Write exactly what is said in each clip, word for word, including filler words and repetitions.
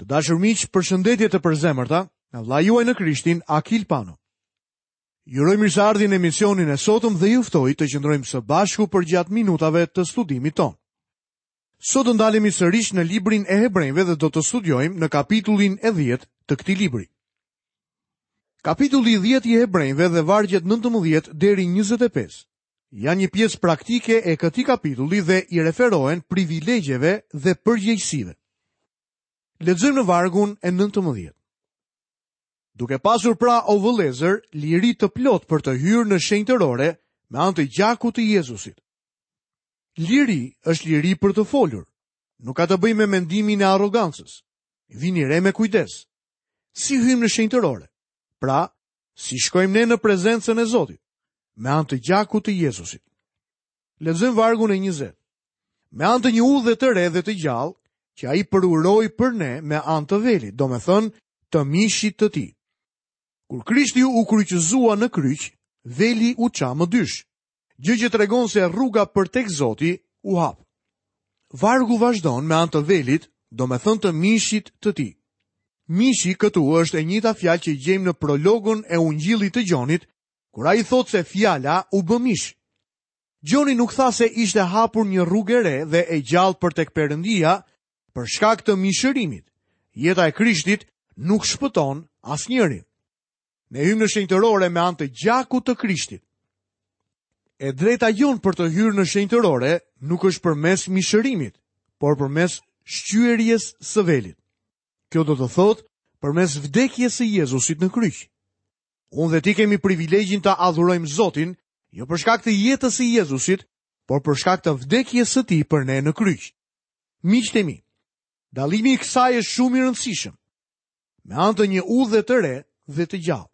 Të dashur miq, përshëndetje të përzemërta nga vëllai juaj në Krishtin, Akil Pano. Ju uroj mirëseardhjen në emisionin e sotëm dhe ju ftoj të qëndrojmë së bashku përgjatë minutave të studimit tonë. Sot do ndalemi sërish në librin e Hebrenjve dhe do të studiojmë në kapitullin e dhjetë të këtij libri. Kapitulli i dhjetë i Hebrenjve dhe vargjet nëntëmbëdhjetë deri njëzet e pesë janë një pjesë praktike e këtij kapitulli dhe i referohen privilegjeve dhe përgjegjësive. Lexojmë në vargun e nëntëmbëdhjetë. Duke pasur pra, o vëllezër, liri të plot për të hyrë në shenjtërore me anë të gjakut të Jezusit. Liri është liri për të folur. Nuk ka të bëjë me mendimin e arrogancës. Vini re me kujdes. Si hyjmë në shenjtërore? Pra, si shkojmë ne në prezencën e Zotit? Me anë të gjakut të Jezusit. Lexojmë vargun e njëzet. Me anë të një udhe të re dhe të gjallë, që ai përuroi për ne me anë të velit, domethënë të mishit të tij. Kur Krishti u kryqëzua në kryq, veli u ça më dysh, gjë që tregon se rruga për tek Zoti u hap. Vargu vazhdon me anë të velit, domethënë të mishit të tij. Mishi këtu është e njëjta fjalë që gjejmë në prologun e Ungjillit të Gjonit, kur ai thotë se fjala u bë mish. Gjoni nuk tha se ishte hapur një rrugë e re dhe e gjallë për tek Perëndia për shkak të mishërimit. Jeta e Krishtit nuk shpëton asnjërin. Ne hyjmë në shenjtërore me anë të gjakut të Krishtit. E drejta jonë për të hyrë në shenjtërore nuk është përmes mishërimit, por përmes shqyerjes së velit. Kjo do të thotë përmes vdekjes së Jezusit në kryq. Unë dhe ti kemi privilegjin të adhurojmë Zotin, jo për shkak të jetës së Jezusit, por për shkak të vdekjes së tij për ne në kryq. Miqtë e mi, dallimi i kësaj është shumë i rëndësishëm. Me anë të një udhe të re dhe të gjallë.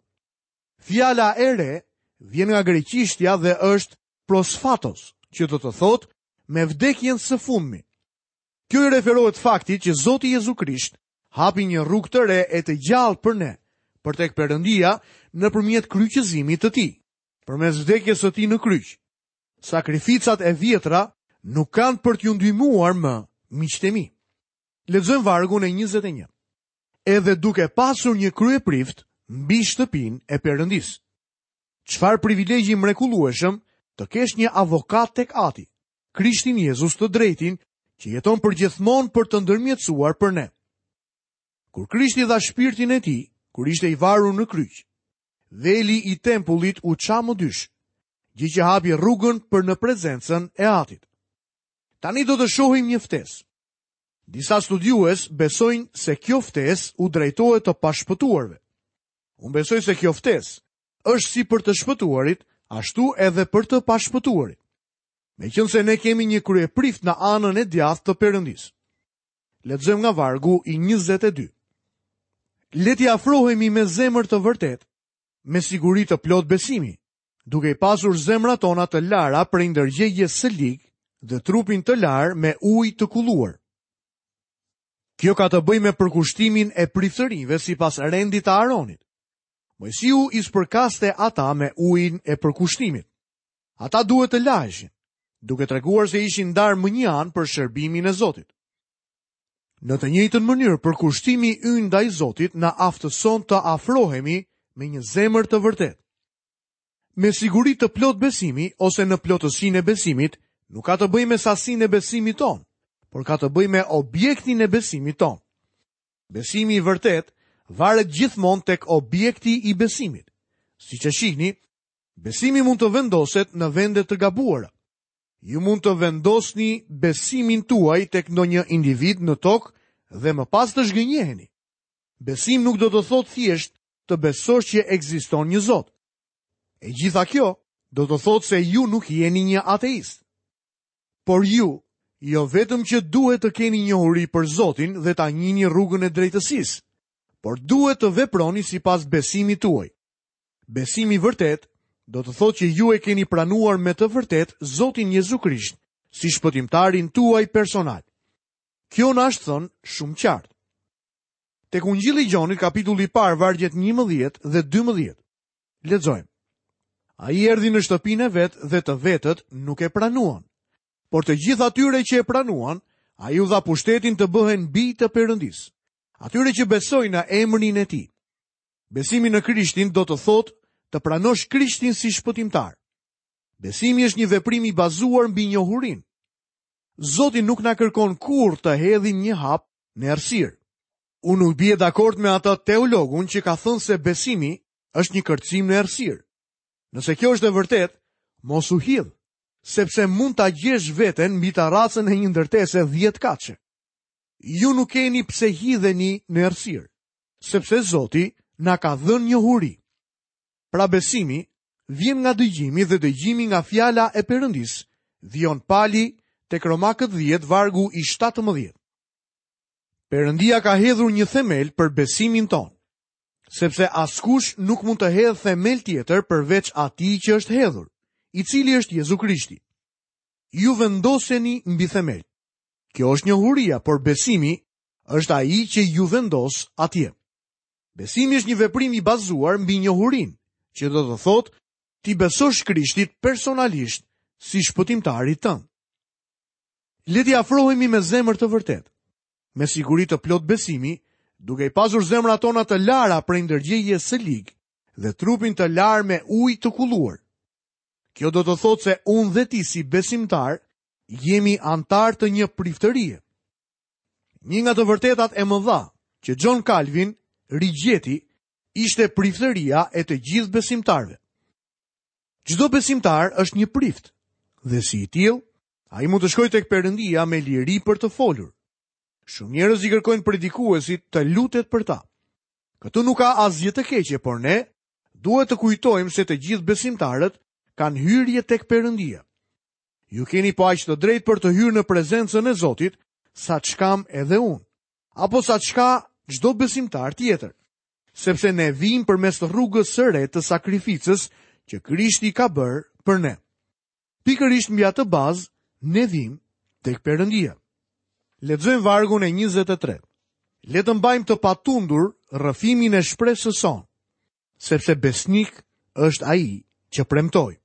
Fjala e re vjen nga greqishtja dhe është prosfatos, që do të thotë me vdekjen së fundmi. Kjo i referohet faktit që Zoti Jezu Krisht hapi një rrugë të re e të gjallë për ne, për tek Perëndia nëpërmjet kryqëzimit të tij, përmes vdekjes së tij në kryq. Sakrificat e vjetra nuk kanë për t'ju ndihmuar më, miqtë e mi. Lexojmë vargun e njëzet e një. Edhe duke pasur një kryeprift mbi shtëpinë e Perëndisë. Çfarë privilegji mrekullueshëm të kesh një avokat tek Ati, Krishtin Jezus të drejtin, që jeton përgjithmonë për të ndërmjetësuar për ne. Kur Krishti dha shpirtin e tij, kur ishte i varur në kryq, veli i tempullit u ça më dysh, gjë që hapi rrugën për në prezencën e Atit. Tani do të shohim një ftesë. Disa studiues besojnë se kjo ftesë u drejtohet të pashpëtuarve. Unë besoj se kjo ftesë është si për të shpëtuarit, ashtu edhe për të pashpëtuarit. Meqense ne kemi një kryeprift në anën e djathtë të Perëndisë. Lexojmë nga vargu i njëzet e dy. Le t'i afrohemi me zemër të vërtetë, me siguri të plot besimi, duke i pasur zemrat tona të lara prej ndërgjegjes së ligë dhe trupin të larë me ujë të kulluar. Kjo ka të bëjë me përkushtimin e priftërinjve sipas rendit të Aronit. Moisiu i spërkaste ata me ujin e përkushtimit. Ata duhet të laheshin, duke treguar se ishin ndarë më një anë për shërbimin e Zotit. Në të njëjtën mënyrë, përkushtimi ynë ndaj Zotit na aftëson të afrohemi me një zemër të vërtetë. Me siguri të plot besimi ose në plotësinë e besimit, nuk ka të bëjë me sasinë e besimit tonë, por ka të bëjë me objektin e besimit tonë. Besimi i vërtetë varet gjithmonë tek objekti i besimit. Siç e shihni, besimi mund të vendoset në vende të gabuara. Ju mund të vendosni besimin tuaj tek ndonjë individ në tokë dhe më pas të zhgënjeheni. Besim nuk do të thotë thjesht të besosh që ekziston një Zot. E gjitha kjo do të thotë se ju nuk jeni një ateist. Por ju, jo vetëm që duhet të keni njohuri për Zotin dhe ta njihni rrugën e drejtësisë, por duhet të veproni sipas besimit tuaj. Besimi i vërtet do të thotë që ju e keni pranuar me të vërtet Zotin Jezu Krisht si shpëtimtarin tuaj personal. Kjo na është thënë shumë qartë. Tek Ungjilli i Gjonit, kapitulli i parë, vargjet njëmbëdhjetë dhe dymbëdhjetë. Lexojmë. Ai erdhi në shtëpinë e vet dhe të vetët nuk e pranuan. Por të gjithë atyre që e pranuan, ai u dha pushtetin të bëhen bij të Perëndisë, atyre që besojnë në emrin e tij. Besimi në Krishtin do të thotë të pranosh Krishtin si shpëtimtar. Besimi është një veprim i bazuar mbi njohurinë. Zoti nuk na kërkon kurrë të hedhim një hap në errësirë. Unë nuk bie dakord me atë teologun që ka thënë se besimi është një kërcim në errësirë. Nëse kjo është e vërtetë, mos u hidh, sepse mund ta gjesh veten mbi tarracën e një ndërtese dhjetë katëshe. Ju nuk keni pse hidheni në errësirë, sepse Zoti na ka dhënë njohuri. Pra besimi vjen nga dëgjimi dhe dëgjimi nga fjala e Perëndisë, vijon Pali tek Romakët dhjetë vargu i shtatëmbëdhjetë. Perëndia ka hedhur një themel për besimin tonë, sepse askush nuk mund të hedhë themel tjetër përveç atij që është hedhur, i cili është Jezu Krishti. Ju vendoseni mbi themel. Kjo është njohuria, por besimi është ai që ju vendos atje. Besimi është një veprim i bazuar mbi njohurinë, që do të thotë ti besosh Krishtit personalisht si shpëtimtarit tënd. Le t'i afrohemi me zemër të vërtetë, me siguri të plot besimi, duke i pasur zemrat tona të lara prej ndërgjegjes së ligë dhe trupin të larë me ujë të kulluar. Kjo do të thotë se unë dhe ti si besimtar jemi antar të një priftërie. Një nga të vërtetat e mëdha që John Calvin rigjeti ishte priftëria e të gjithë besimtarëve. Çdo besimtar është një prift dhe si i tillë, ai mund të shkojë tek Perëndia me liri për të folur. Shumë njerëz i kërkojnë predikuesit të lutet për ta. Këtu nuk ka asgjë të keqe, por ne duhet të kujtojmë se të gjithë besimtarët kanë hyrje tek Perëndia. Ju keni po aq të drejtë për të hyrë në prezencën e Zotit, sa ç'kam edhe unë, apo sa ç'ka çdo besimtar tjetër, sepse ne vijmë përmes rrugës së re të sakrificës që Krishti ka bërë për ne. Pikërisht mbi atë bazë ne vijmë tek Perëndia. Lexojmë vargun e njëzet e tre. Le të mbajmë të patundur rrëfimin e shpresës sonë, sepse besnik është ai që premtoi.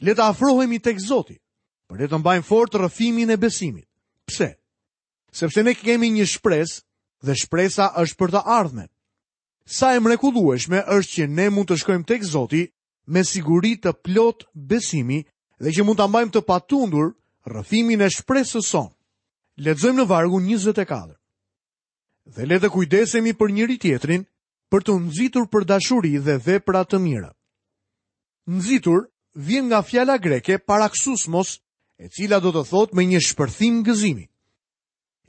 Le të afrohemi tek Zoti, por le të mbajmë fort rrëfimin e besimit. Pse? Sepse ne kemi një shpresë dhe shpresa është për të ardhmen. Sa e mrekullueshme është që ne mund të shkojmë tek Zoti me siguri të plot besimi dhe që mund ta mbajmë të patundur rrëfimin e shpresës sonë. Lexojmë në vargun njëzet e katër. Dhe le të kujdesemi për njëri tjetrin, për të nxitur për dashuri dhe vepra të mira. Nxitur vjen nga fjala greke paraksusmos, e cila do të thotë me një shpërthim gëzimi.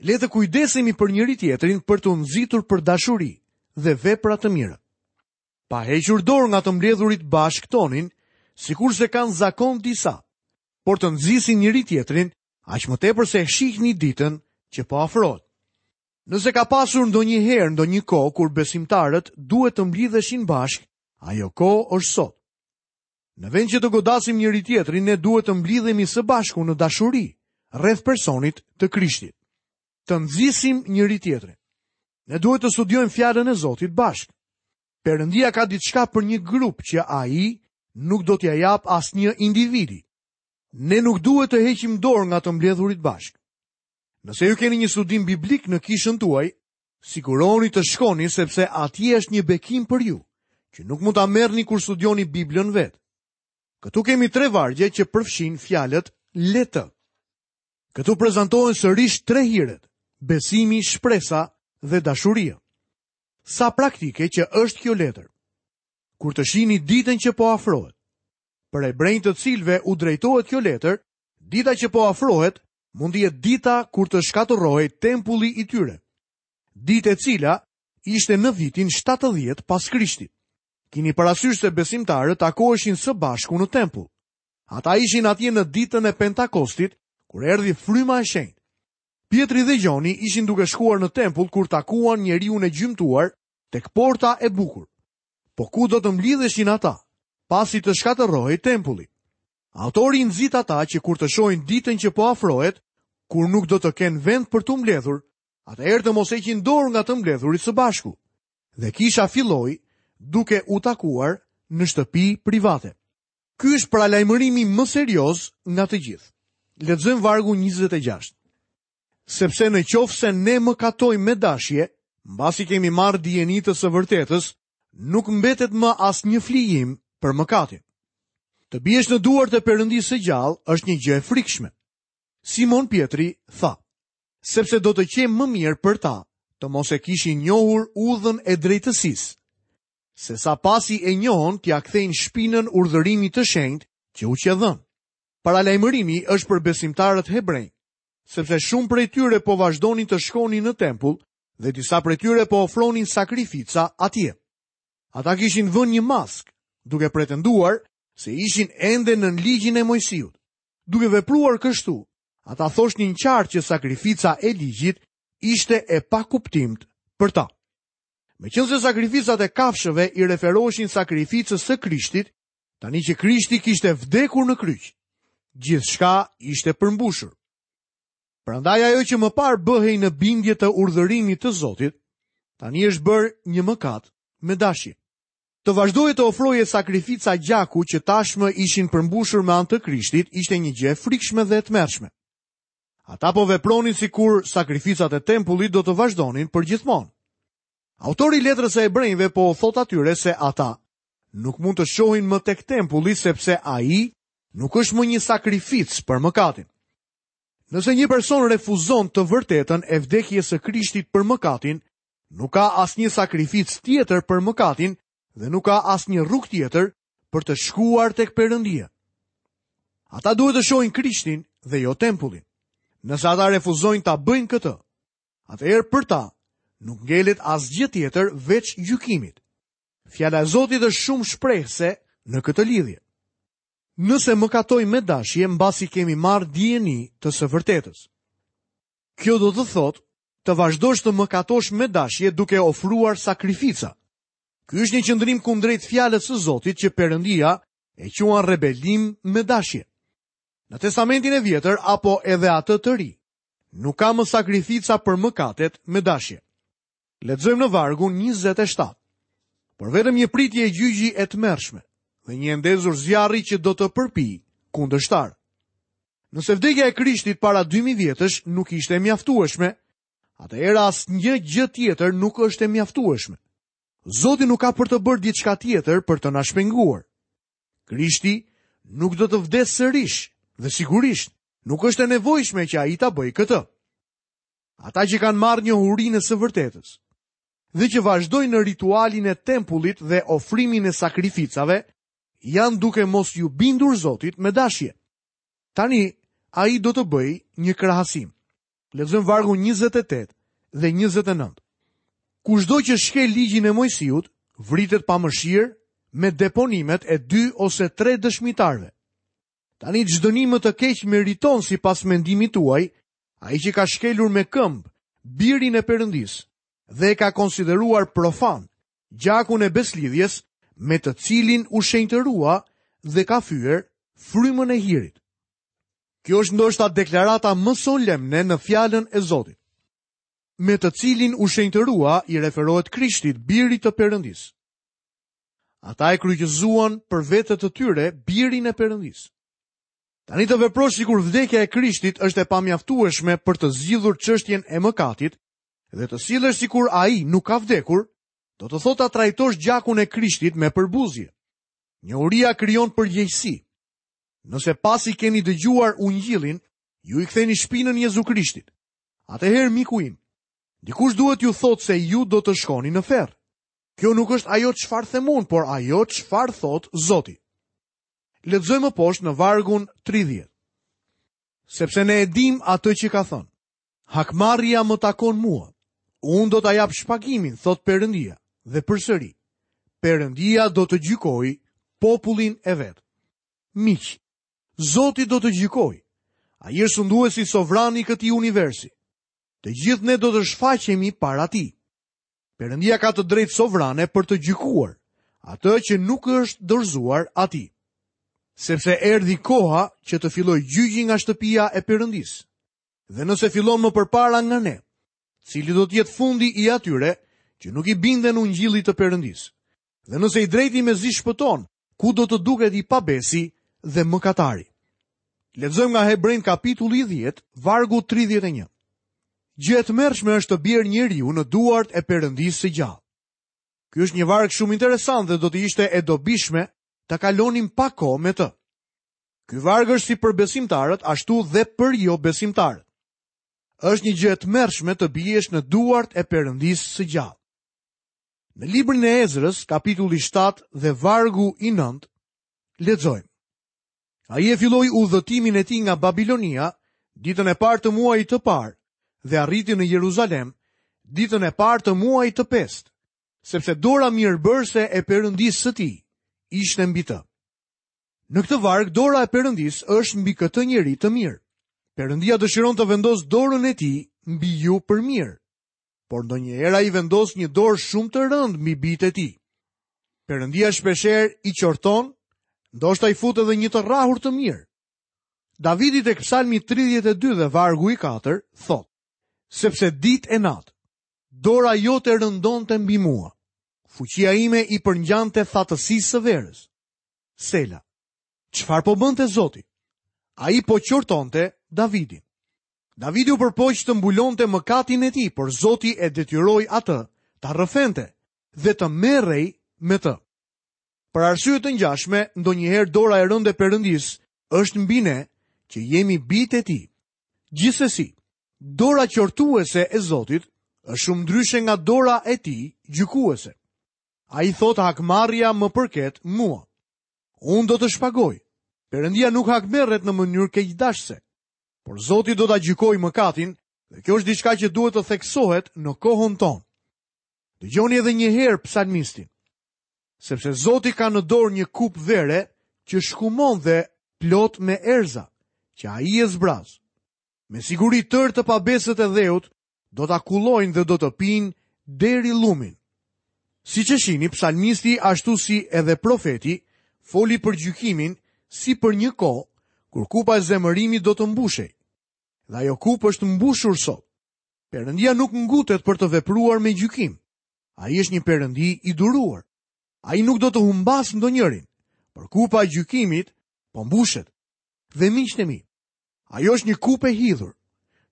Le të kujdesemi për njëri tjetrin për të nxitur për dashuri dhe vepra të mira. Pa hequr dorë nga të mbledhurit bashkë tonin, sikurse kanë zakon disa, por të nxisin njëri tjetrin, aq më tepër se shihni ditën që po afrohet. Nëse ka pasur ndonjëherë ndonjë kohë kur besimtarët duhet të mblidheshin bashkë, ajo kohë është sot. Në vend që të godasim njëri tjetrin, ne duhet të mblidhemi së bashku në dashuri rreth personit të Krishtit. Të nxisim njëri tjetrin. Ne duhet të studiojmë fjalën e Zotit bashkë. Perëndia ka diçka për një grup që ai nuk do t'ia jap asnjë individi. Ne nuk duhet të heqim dorë nga të mbledhurit bashkë. Nëse ju keni një studim biblik në kishën tuaj, siguroni të shkoni sepse atje është një bekim për ju, që nuk mund ta merrni kur studioni Biblën vetë. Këtu kemi tre vargje që përfshin fjalët le të. Këtu prezantohen sërish tre hiret: besimi, shpresa dhe dashuria. Sa praktike që është kjo letër. Kur të shihni ditën që po afrohet. Për hebrejt të cilëve u drejtohet kjo letër, dita që po afrohet mund të jetë dita kur të shkatërrohej tempulli i tyre. Ditë e cila ishte në vitin shtatëdhjetë pas Krishtit. Kini parasysh se besimtarët takoheshin së bashku në tempull. Ata ishin atje në ditën e Pentakostit, kur erdhi fryma e shenjtë. Pietri dhe Gjoni ishin duke shkuar në tempull kur takuan njeriun e gjymtuar tek porta e bukur. Po ku do të mblidheshin ata, pasi të shkatërrohej tempulli? Autori i nxit ata që kur të shohin ditën që po afrohet, kur nuk do të kenë vend për t'u mbledhur, atëherë të mos heqin dorë nga të mbledhurit së bashku. Dhe kisha filloi duke u takuar në shtëpi private. Ky është paralajmërimi më serioz nga të gjithë. Lexojmë vargun njëzet e gjashtë. Sepse në qoftë se ne mëkatojmë me dashje, Mbasi kemi marrë dijeni të së vërtetës, nuk mbetet më asnjë flijim për mëkatin. Të biesh në duart e Perëndisë së gjallë është një gjë e frikshme. Simon Pjetri tha, sepse do të qenë më mirë për ta të mos e kishin njohur udhën e drejtësisë, se sa pasi e njohën t'ia kthejnë shpinën urdhërimit të shenjtë që u qe dhënë. Paralajmërimi është për besimtarët hebrenj, sepse shumë prej tyre po vazhdonin të shkonin në tempull dhe disa prej tyre po ofronin sakrifica atje. Ata kishin vënë një maskë, duke pretenduar se ishin ende nën ligjin e Moisiut. Duke vepruar kështu, ata thoshnin qartë që sakrifica e ligjit ishte e pakuptimt për ta. Meqenëse sakrificat e kafshëve i referoheshin sakrificës së Krishtit, tani që Krishti kishte vdekur në kryq, gjithçka ishte përmbushur. Prandaj ajo që më parë bëhej në bindje të urdhërimit të Zotit, tani është bërë një mëkat me dashje. Të vazhdoje të ofroje sakrifica gjaku që tashmë ishin përmbushur me anë të Krishtit ishte një gjë e frikshme dhe e tmerrshme. Ata po vepronin sikur sakrificat e tempullit do të vazhdonin përgjithmonë. Autori i letrës së Hebrejve po u thot atyre se ata nuk mund të shohin më tek tempulli sepse ai nuk është më një sakrificë për mëkatin. Nëse një person refuzon të vërtetën e vdekjes së Krishtit për mëkatin, nuk ka asnjë sakrificë tjetër për mëkatin dhe nuk ka asnjë rrugë tjetër për të shkuar tek Perëndia. Ata duhet të shohin Krishtin dhe jo tempullin. Nëse ata refuzojnë ta bëjnë këtë, atëherë për ta nuk ngelet asgjë tjetër veç gjykimit. Fjala e Zotit është shumë shprehëse në këtë lidhje. Nëse mëkatojmë me dashje mbasi kemi marrë dijeni të së vërtetës. Kjo do të thotë të vazhdosh të mëkatosh me dashje duke ofruar sakrifica. Ky është një qëndrim kundrejt fjalës së Zotit që Perëndia e quan rebelim me dashje. Në Testamentin e Vjetër apo edhe atë të ri, nuk ka më sakrifica për mëkatet me dashje. Lexojmë në vargun njëzet e shtatë. Por vetëm një pritje e gjyqi e tmerrshme dhe një ndezur zjarri që do të përpijë kundërshtar. Nëse vdekja e Krishtit para dy mijë vjetësh nuk ishte e mjaftueshme, atëherë asnjë gjë tjetër nuk është e mjaftueshme. Zoti nuk ka për të bërë diçka tjetër për të na shpenguar. Krishti nuk do të vdesë sërish dhe sigurisht nuk është e nevojshme që ai ta bëjë këtë. Ata që kanë marrë njohurinë e së vërtetës dhe që vazhdojnë në ritualin e tempullit dhe ofrimin e sakrificave, janë duke mos ju bindur Zotit me dashje. Tani, ai do të bëjë një krahasim. Lexojmë vargun njëzet e tetë dhe njëzet e nëntë. Kushdo që shkel ligjin e Moisiut, vritet pa mëshirë me deponimet e dy ose tre dëshmitarëve. Tani ç'dënim më të keq meriton sipas mendimit tuaj, ai që ka shkelur me këmbë birin e Perëndisë dhe e ka konsideruar profan gjakun e beslidhjes me të cilin u shenjtërua dhe ka fyer frymën e hirit. Kjo është ndoshta deklarata më solemne në fjalën e Zotit. Me të cilin u shenjtërua i referohet Krishtit, birit të Perëndisë. Ata e kryqëzuan për vete të tyre birin e Perëndisë. Tani të veprosh sikur vdekja e Krishtit është e pamjaftueshme për të zgjidhur çështjen e mëkatit dhe të sillesh sikur ai nuk ka vdekur, do të thotë ta trajtosh gjakun e Krishtit me përbuzje. Njohuria krijon përgjegjësi. Nëse pasi keni dëgjuar ungjillin, ju i ktheni shpinën Jezu Krishtit. Atëherë miku im, dikush duhet ju thotë se ju do të shkoni në ferr. Kjo nuk është ajo çfarë them unë, por ajo çfarë thot Zoti. Lexojmë poshtë në vargun tridhjetë. Sepse ne e dim atë që ka thënë. Hakmarrja më takon mua. Unë do ta jap shpagimin, thot Perëndia, dhe përsëri, Perëndia do të gjykojë popullin e vet. Miq, Zoti do të gjykojë. Ai është sunduesi sovran i këtij universi. Të gjithë ne do të shfaqemi para tij. Perëndia ka të drejtë sovrane për të gjykuar atë që nuk është dorëzuar atij. Sepse erdhi koha që të fillojë gjyqi nga shtëpia e Perëndisë. Dhe nëse fillon më përpara nga ne, cili do të jetë fundi i atyre që nuk i binden ungjillit të Perëndisë? Dhe nëse i drejti mezi shpëton, ku do të duket i pabesi dhe mëkatari? Lexojmë nga Hebrejt kapitulli dhjetë, vargu tridhjetë e një. Gjë e tmerrshme është të bjerë njeriu në duart e Perëndisë së gjallë. Ky është një varg shumë interesant dhe do të ishte e dobishme ta kalonim pak kohë me të. Ky varg është si për besimtarët, ashtu dhe për jo besimtarët. Është një gjë e tmerrshme të biesh në duart e Perëndisë së gjallë. Në librin e Ezrës, kapitulli shtatë dhe vargu i nëntë, lexojmë. Ai e filloi udhëtimin e tij nga Babilonia ditën e parë të muajit të parë dhe arriti në Jeruzalem ditën e parë të muajit të pestë, sepse dora mirëbërëse e Perëndisë së tij ishte mbi të. Në këtë varg, dora e Perëndisë është mbi këtë njeri të mirë. Perëndia dëshiron të vendosë dorën e tij mbi ju për mirë, por ndonjëherë ai vendos një dorë shumë të rëndë mbi bijtë e tij. Perëndia shpeshherë i qorton, ndoshta i fut edhe një të rrahur të mirë. Davidi tek Psalmi tridhjetë e dy dhe vargu i katër thotë: Sepse ditë e natë dora jote rëndonte mbi mua. Fuqia ime i përngjante thatësisë së verës. Sela. Çfarë po bënte Zoti? Ai po qortonte Davidin. Davidi u përpoq të mbulonte mëkatin e tij, por Zoti e detyroi atë ta rrëfente dhe të merrej me të. Për arsye të ngjashme, ndonjëherë dora e rëndë e Perëndisë është mbi ne, që jemi bijtë e tij. Gjithsesi, dora qortuese e Zotit është shumë ndryshe nga dora e tij gjykuese. Ai thotë hakmarrja më përket mua. Unë do të shpagoj. Perëndia nuk hakmerret në mënyrë keqdashëse, por Zoti do ta gjykojë mëkatin dhe kjo është diçka që duhet të theksohet në kohën tonë. Dëgjoni edhe një herë psalmistin. Sepse Zoti ka në dorë një kupë vere që shkumon dhe plot me erza, që ai e zbraz. Me siguri tërë të pabesët e dheut do ta kullojnë dhe do të pinë deri llumin. Siç e shihni, psalmisti ashtu si edhe profeti foli për gjykimin si për një kohë kur kupa e zemërimit do të mbushej. Dhe ajo kupë është mbushur sot. Perëndia nuk ngutet për të vepruar me gjykim. Ai është një perëndi i duruar. Ai nuk do të humbas ndonjërin, por kupa e gjykimit po mbushet. Dhe miqtë e mi, ajo është një kupë e hidhur.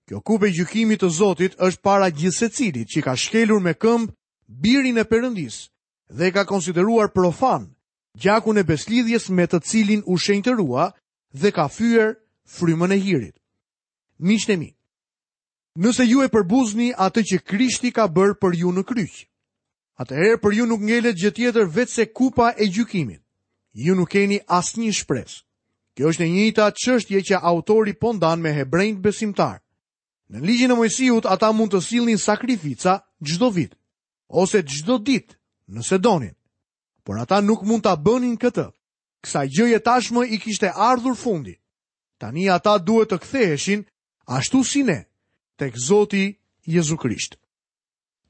Kjo kupë e gjykimit të Zotit është para gjithsecilit që ka shkelur me këmbë birin e Perëndisë dhe e ka konsideruar profan gjakun e beslidhjes me të cilin u shenjtërua dhe ka fyer frymën e hirit. Miqtë e mi, nëse ju e përbuzni atë që Krishti ka bërë për ju në kryq, atëherë për ju nuk ngelet gjë tjetër veçse kupa e gjykimit. Ju nuk keni asnjë shpresë. Kjo është e njëjta çështje që autori po ndan me hebrejt besimtar. Në ligjin e Moisiut ata mund të sillnin sakrifica çdo vit ose çdo ditë, nëse donin. Por ata nuk mund ta bënin këtë. Kësaj gjëje tashmë i kishte ardhur fundi. Tani ata duhet të ktheheshin ashtu si ne, tek Zoti Jezu Krisht.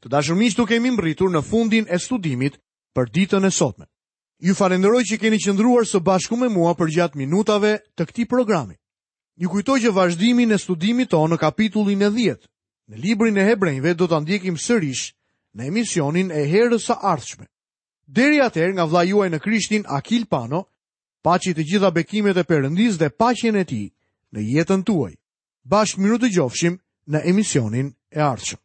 Të dashur miq, tu kemi mbërritur në fundin e studimit për ditën e sotme. Ju falenderoj që keni qëndruar së bashku me mua përgjatë minutave të këtij programi. Ju kujtoj që vazhdimin e studimit tonë në kapitullin e dhjetë, në librin e Hebrejve do ta ndjekim sërish në emisionin e herës së ardhshme. Deri atëherë, nga vëllai juaj në Krishtin, Akil Pano, paçi të gjitha bekimet e Perëndisë dhe paqen e tij në jetën tuaj. Bashkë mirudëgjofshim në emisionin e ardhshëm.